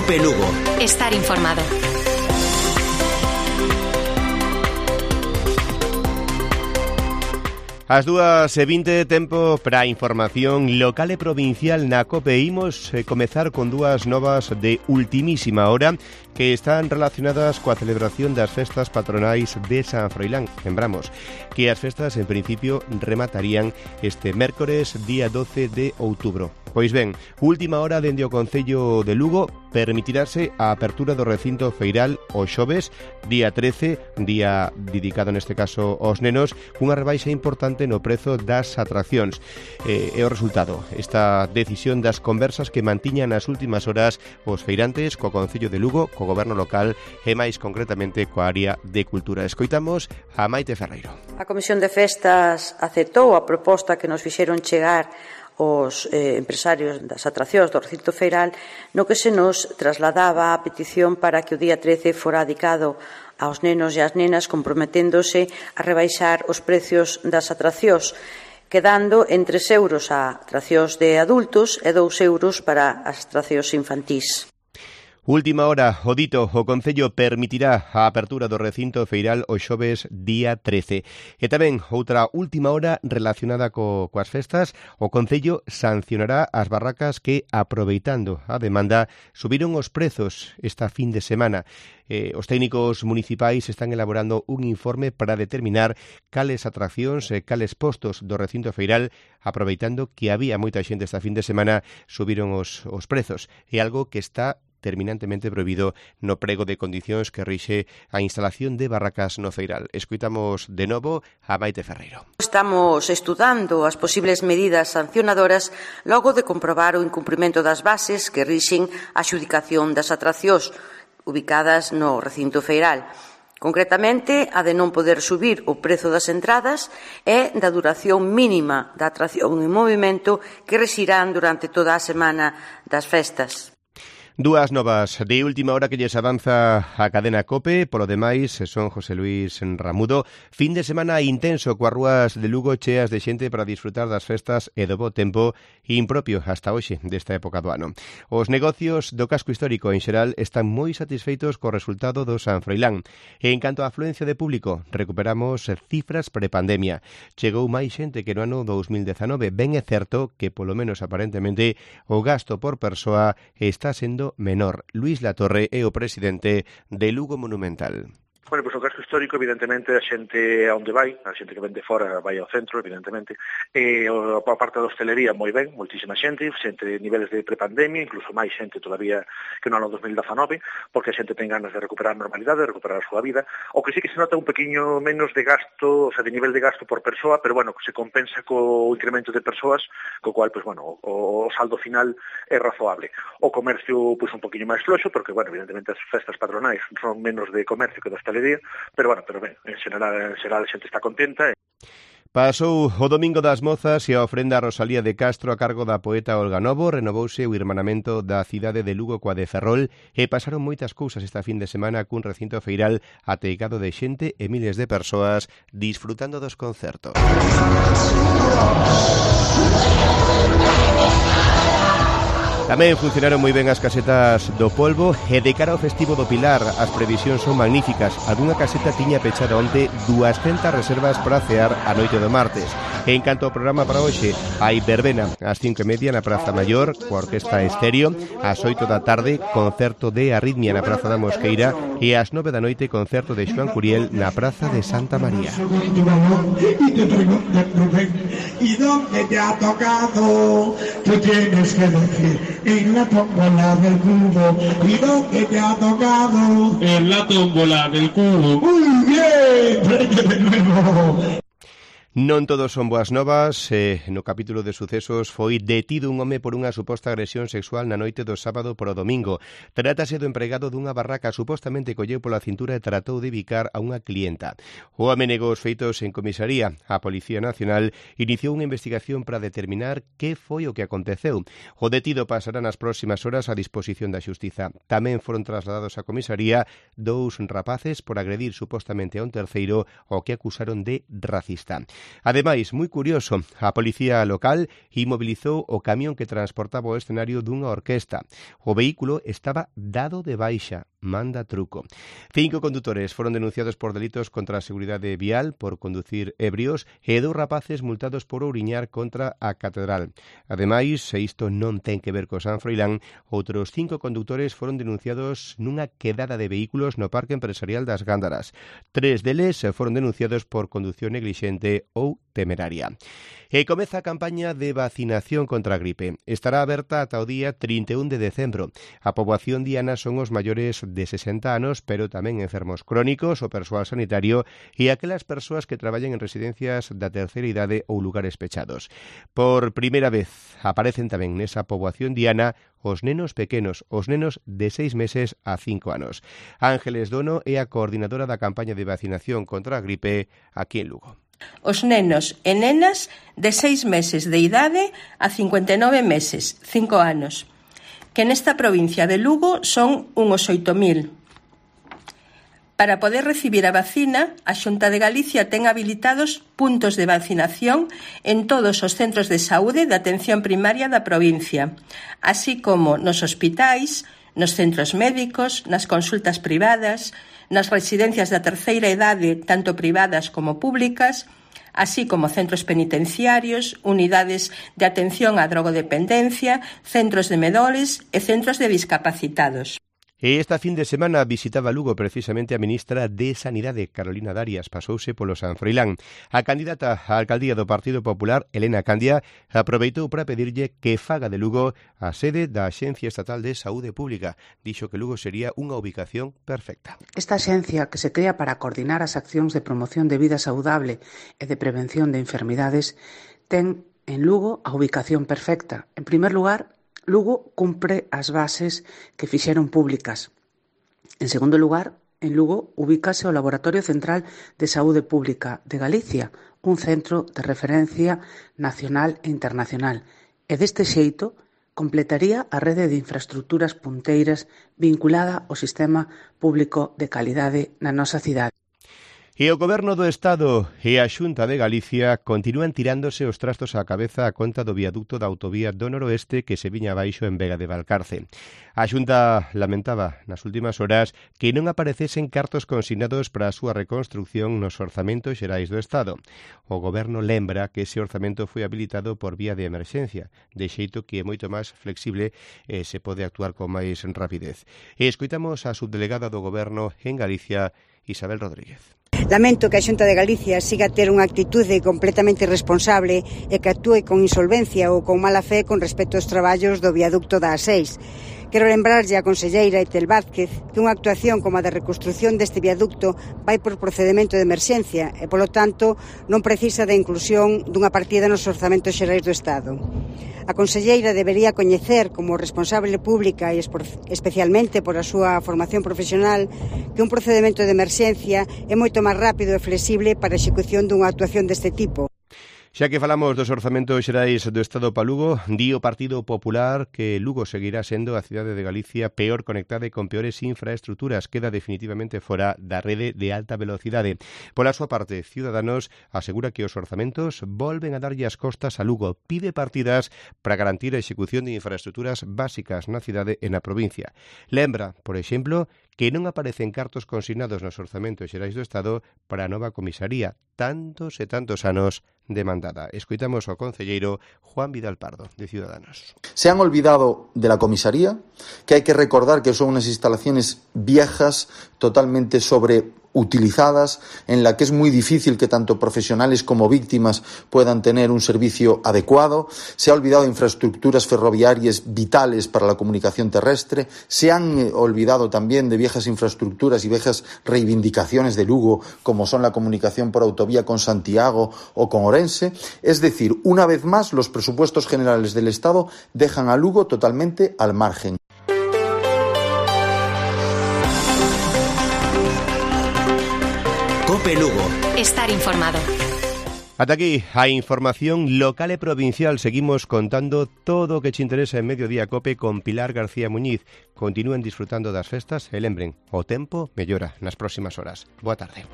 Cope Lugo. Estar informado. As 2:20, tempo para a información local e provincial na COPE. Imos comezar con dúas novas de ultimísima hora que están relacionadas coa celebración das festas patronais de San Froilán. Lembramos que as festas en principio rematarían este mércores día 12 de outubro. Pois ben, última hora dende o Concello de Lugo permitirase a apertura do recinto feiral o xoves, día 13, día dedicado neste caso aos nenos, cunha rebaixa importante no prezo das atraccións. E o resultado, esta decisión das conversas que mantiñan nas últimas horas os feirantes co Concello de Lugo, co Goberno local e máis concretamente coa área de cultura. Escoitamos a Maite Ferreiro. A Comisión de Festas aceptou a proposta que nos fixeron chegar os empresarios das atraccións do recinto feiral, no que se nos trasladaba a petición para que o día 13 fora dedicado aos nenos e ás nenas, comprometéndose a rebaixar os precios das atraccións, quedando en 3 euros a atraccións de adultos e 2 euros para as atraccións infantís. Última hora, o dito, o Concello permitirá a apertura do recinto feiral o xoves día 13. E tamén, outra última hora relacionada coas festas, o Concello sancionará as barracas que, aproveitando a demanda, subiron os prezos esta fin de semana. Os técnicos municipais están elaborando un informe para determinar cales atraccións e cales postos do recinto feiral, aproveitando que había moita xente esta fin de semana, subiron os prezos. É algo que está terminantemente prohibido no prego de condicións que rixe a instalación de barracas no feiral. Escoitamos de novo a Maite Ferreiro. Estamos estudando as posibles medidas sancionadoras logo de comprobar o incumprimento das bases que rixen a adxudicación das atraccións ubicadas no recinto feiral. Concretamente, a de non poder subir o prezo das entradas e da duración mínima da atracción en movimento que rexirán durante toda a semana das festas. Dúas novas de última hora que lles avanza a cadena COPE. Polo demais, son José Luis Ramudo. Fin de semana intenso coas rúas de Lugo cheas de xente para disfrutar das festas e do bo tempo impropio hasta hoxe desta época do ano. Os negocios do casco histórico en xeral están moi satisfeitos co resultado do San Froilán. E en canto á afluencia de público, recuperamos cifras prepandemia. Chegou máis xente que no ano 2019. Ben é certo que, polo menos aparentemente, o gasto por persoa está sendo menor. Luís Latorre é o presidente de Lugo Monumental. Bueno, pois o casco histórico, evidentemente, a xente a onde vai, a xente que ven de fora vai ao centro, evidentemente, e a parte da hostelería moi ben, moitísima xente de niveles de prepandemia, incluso máis xente todavía que no ano 2019, porque a xente ten ganas de recuperar a normalidade, de recuperar a súa vida. O que sí que se nota un pequeño menos de gasto, o sea, de nivel de gasto por persoa, pero bueno, se compensa co incremento de persoas, co cual, pues bueno, o saldo final é razoable. O comercio, pues un poquinho máis floxo, porque, bueno, evidentemente as festas patronais son menos de comercio que de hostelería, pero ben, en xeral a xente está contenta. Pasou o Domingo das Mozas e a ofrenda a Rosalía de Castro a cargo da poeta Olga Novo. Renovouse o irmanamento da cidade de Lugo coa de Ferrol e pasaron moitas cousas esta fin de semana cun recinto feiral ateigado de xente e miles de persoas disfrutando dos concertos. Tamén funcionaron moi ben as casetas do Polvo e de cara ao festivo do Pilar as previsións son magníficas. Algúna caseta tiña pechada onte 200 reservas para cear a noite do martes. E en canto ao programa para hoxe, hai verbena ás 5:30 na Praza Maior coa Orquesta Estéreo, ás 8 da tarde concerto de Arritmia na Praza da Mosqueira e ás 9 da noite concerto de Xoán Curiel na Praza de Santa María. ¿Y dónde te ha tocado? Tú tienes que decir en la tómbola del cubo. ¿Y dónde te ha tocado? En la tómbola del cubo. Muy bien, de nuevo. Non todos son boas novas. No capítulo de sucesos foi detido un home por unha suposta agresión sexual na noite do sábado para o domingo. Trátase do empregado dunha barraca, supostamente colleu pola cintura e tratou de bicar a unha clienta. O home negou os feitos en comisaría. A Policía Nacional iniciou unha investigación para determinar que foi o que aconteceu. O detido pasará nas próximas horas a disposición da xustiza. Tamén foron trasladados á comisaría 2 rapaces por agredir supostamente a un terceiro ao que acusaron de racista. Ademais, moi curioso, a policía local inmobilizou o camión que transportaba o escenario dunha orquesta. O vehículo estaba dado de baixa. Manda truco. 5 condutores foron denunciados por delitos contra a seguridade vial por conducir ebrios e 2 rapaces multados por ouriñar contra a catedral. Ademais, se isto non ten que ver co San Froilán, outros 5 condutores foron denunciados nunha quedada de vehículos no Parque Empresarial das Gándaras. 3 deles foron denunciados por condución neglixente ou temeraria. E comeza a campaña de vacinación contra a gripe. Estará aberta ata o día 31 de decembro. A poboación diana son os maiores de 60 anos, pero tamén enfermos crónicos, o persoal sanitario e aquelas persoas que traballan en residencias da terceira idade ou lugares pechados. Por primeira vez aparecen tamén nesa poboación diana os nenos pequenos, os nenos de 6 meses a 5 anos. Ángeles Dono é a coordinadora da campaña de vacinación contra a gripe aquí en Lugo. Os nenos e nenas de 6 meses de idade a 59 meses, 5 anos, que nesta provincia de Lugo son uns 8.000. Para poder recibir a vacina, a Xunta de Galicia ten habilitados puntos de vacinación en todos os centros de saúde de atención primaria da provincia, así como nos hospitais, nos centros médicos, nas consultas privadas, nas residencias da terceira idade, tanto privadas como públicas, así como centros penitenciarios, unidades de atención á drogodependencia, centros de medores e centros de discapacitados. E esta fin de semana visitaba Lugo precisamente a ministra de Sanidade, Carolina Darias, pasouse polo San Froilán. A candidata á alcaldía do Partido Popular, Elena Candia, aproveitou para pedirlle que faga de Lugo a sede da Axencia Estatal de Saúde Pública. Dixo que Lugo sería unha ubicación perfecta. Esta axencia, que se crea para coordinar as accións de promoción de vida saudable e de prevención de enfermidades, ten en Lugo a ubicación perfecta. En primer lugar, Lugo cumpre as bases que fixeron públicas. En segundo lugar, en Lugo ubícase o Laboratorio Central de Saúde Pública de Galicia, un centro de referencia nacional e internacional. E deste xeito completaría a rede de infraestructuras punteiras vinculada ao sistema público de calidade na nosa cidade. E o Goberno do Estado e a Xunta de Galicia continúan tirándose os trastos á cabeza a conta do viaducto da autovía do Noroeste que se viña abaixo en Vega de Valcarce. A Xunta lamentaba nas últimas horas que non aparecesen cartos consignados para a súa reconstrucción nos orzamentos xerais do Estado. O Goberno lembra que ese orzamento foi habilitado por vía de emerxencia, de xeito que é moito máis flexible e se pode actuar con máis rapidez. E escoitamos a subdelegada do Goberno en Galicia, Isabel Rodríguez. Lamento que a Xunta de Galicia siga a ter unha actitude completamente irresponsable e que actúe con insolvencia ou con mala fe con respecto aos traballos do viaducto da A6. Quero lembrarlle á conselleira Etel Vázquez que unha actuación como a de reconstrucción deste viaducto vai por procedemento de emerxencia e, polo tanto, non precisa da inclusión dunha partida nos orzamentos xerais do Estado. A conselleira debería coñecer como responsable pública e especialmente por a súa formación profesional que un procedemento de emerxencia é moito máis rápido e flexible para a execución dunha actuación deste tipo. Xa que falamos dos orzamentos xerais do Estado para Lugo, di o Partido Popular que Lugo seguirá sendo a cidade de Galicia peor conectada e con peores infraestructuras. Queda definitivamente fora da rede de alta velocidade. Pola súa parte, Ciudadanos asegura que os orzamentos volven a darlle as costas a Lugo. Pide partidas para garantir a execución de infraestructuras básicas na cidade e na provincia. Lembra, por exemplo, que non aparecen cartos consignados nos orzamentos xerais do Estado para a nova comisaría, tantos e tantos anos demandada. Escoitamos ao concelleiro Juan Vidal Pardo, de Ciudadanos. Se han olvidado de la comisaría, que hay que recordar que son unas instalaciones viejas, totalmente sobreutilizadas, en la que es muy difícil que tanto profesionales como víctimas puedan tener un servicio adecuado. Se ha olvidado de infraestructuras ferroviarias vitales para la comunicación terrestre. Se han olvidado también de viejas infraestructuras y viejas reivindicaciones de Lugo, como son la comunicación por autovía con Santiago o con Orense. Es decir, una vez más, los presupuestos generales del Estado dejan a Lugo totalmente al margen. COPE Lugo. Estar informado. Ata aquí a información local e provincial. Seguimos contando todo o que te interesa en Mediodía Cope con Pilar García Muñiz. Continúen disfrutando das festas e lembren, o tempo mellora nas próximas horas. Boa tarde.